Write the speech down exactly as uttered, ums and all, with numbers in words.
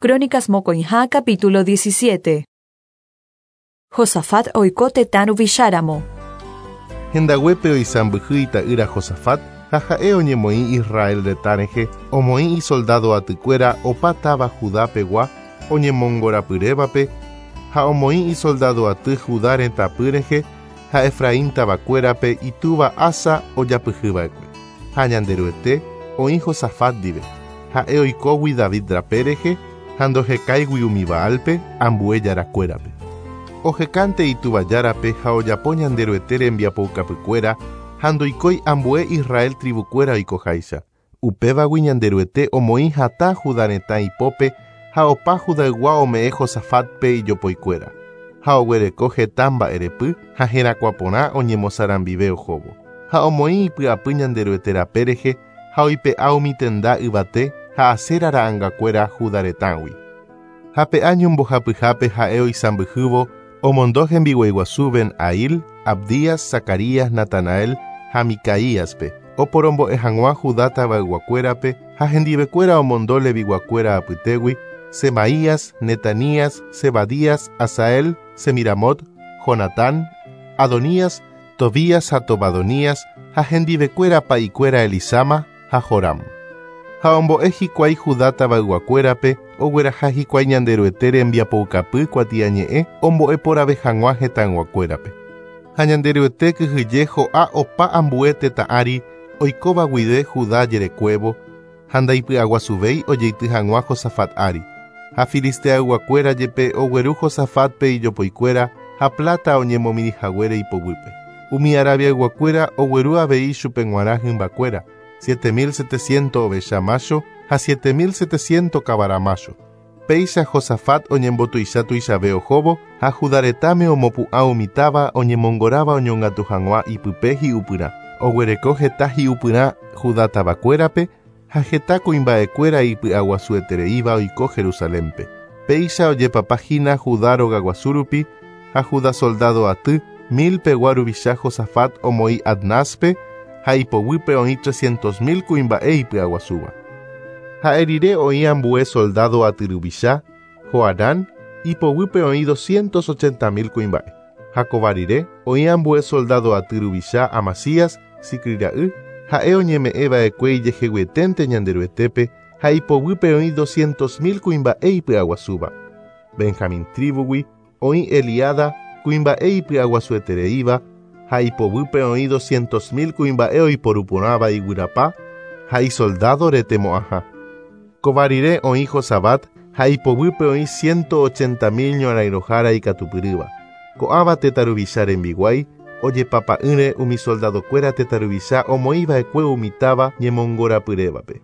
Crónicas mokõiha capítulo diecisiete. Josafat oiko tetã ruvicháramo. Hendaguépe oisãmbyhy ita'ýra Josafat ha ha'e oñemoĩ Israel retã rehe omoĩ isoldado atykuéra opa táva Judapegua oñemongorapyrévape ha omoĩ isoldado aty Judá retãpy rehe ha Efraín tavakuérape itúva Asa ojapyhyva'ekue. Ha Ñanderuete oĩ Josafat ndive. Ha'e oikógui David rape rehe ha ndohekáigui umi Baalpe ambue jarakuérape. Ohekánte ituvajárape ha ojapo Ñanderuete rembiapoukapykuéra ha ndoikói ambue Israel tribukuéra oikoháicha. Upévagui Ñanderuete omoĩ hatã Judá retã ipópe ha opa Judaygua ome'ẽ Josafatpe ijopoikuéra. Ha oguereko heta mba'erepy ha herakuãporã oñemosarambive ohóvo. Ha omoĩ ipy'apy Ñanderuete rape rehe ha oipe'a umi tenda yvate ha Asera ra'angakuéra Judá retãgui. Ha pe año mbohapyhápe ha'e oisãmbyhývo omondo hembiguaiguasu Ben-Hail, Abdías, Zacarías, Natanael ha Micaíaspe oporombo'e hag̃ua Judá tavayguakuérape ha hendivekuéra omondo leviguakuéra apytégui Semaías, Netanías, Zebadías, Asael, Semiramot, Jonatán, Adonías, Tobías ha Tobadonías ha hendivekuéra pa'ikuéra Elisama ha Joram. Ha ombo'e hikuái Judá tavayguakuérape ogueraha hikuái Ñanderuete rembiapoukapy kuatiañe'ẽ ombo'eporãve hag̃ua hetãyguakuérape. Ha Ñanderuete kyhyje ho'a opa ambue tetã ári oikóva guive Judá jerekuévo ha ndaipy'aguasuvéi ojeity hag̃ua Josafat ári. Ha filisteayguakuéra jepe ogueru Josafatpe ijopoikuéra ha plata oñemomirĩhaguére ipoguýpe. Umi arabiayguakuéra ogueru avei chupe g̃uarã hymbakuéra, siete mil setecientos ovecha macho ha siete mil setecientos kavara macho. Péicha Josafat oñembotuicha tuichave ohóvo ha Judá retãme omopu'ã umi táva oñemongoráva oñongatu hag̃ua ipype hi'upyrã. Oguereko heta hi'upyrã Judá tavakuérape ha heta kuimba'ekuéra ipy'aguasuetereíva oiko Jerusalénpe. Péicha ojepapahína Judá rogaguasu rupi ha Judá soldado aty mil pegua ruvicha Josafat omoĩ Adnáspe ha ipoguýpe oĩ trescientos mil kuimba'e ipy'aguasúva. Ha'e rire oĩ ambue soldado aty ruvicha Joarán ipoguýpe oĩ doscientos ochenta mil kuimba'e. Ha kóva rire oĩ ambue soldado aty ruvicha Amasías Sicri ra'y ha'e oñeme'ẽva'ekue ijeheguieténte Ñanderuetépe ha ipoguýpe oĩ doscientos mil kuimba'e ipy'aguasúva. Benjamín tribugui oĩ Eliada kuimba'e ipy'aguasuetereíva ha ipoguýpe oĩ doscientos mil kuimba'e oiporuporãva iguyrapa ha isoldado retemo'ãha. Kóva rire oĩ Josabat ha ipoguýpe oĩ ciento ochenta mil ñorãirõhára ikatupyrýva. Ko'ãva tetã ruvicha rembiguái ojepapa'ỹre umi soldadokuéra tetã ruvicha omoĩva'ekue umi táva ñemongorapyrévape.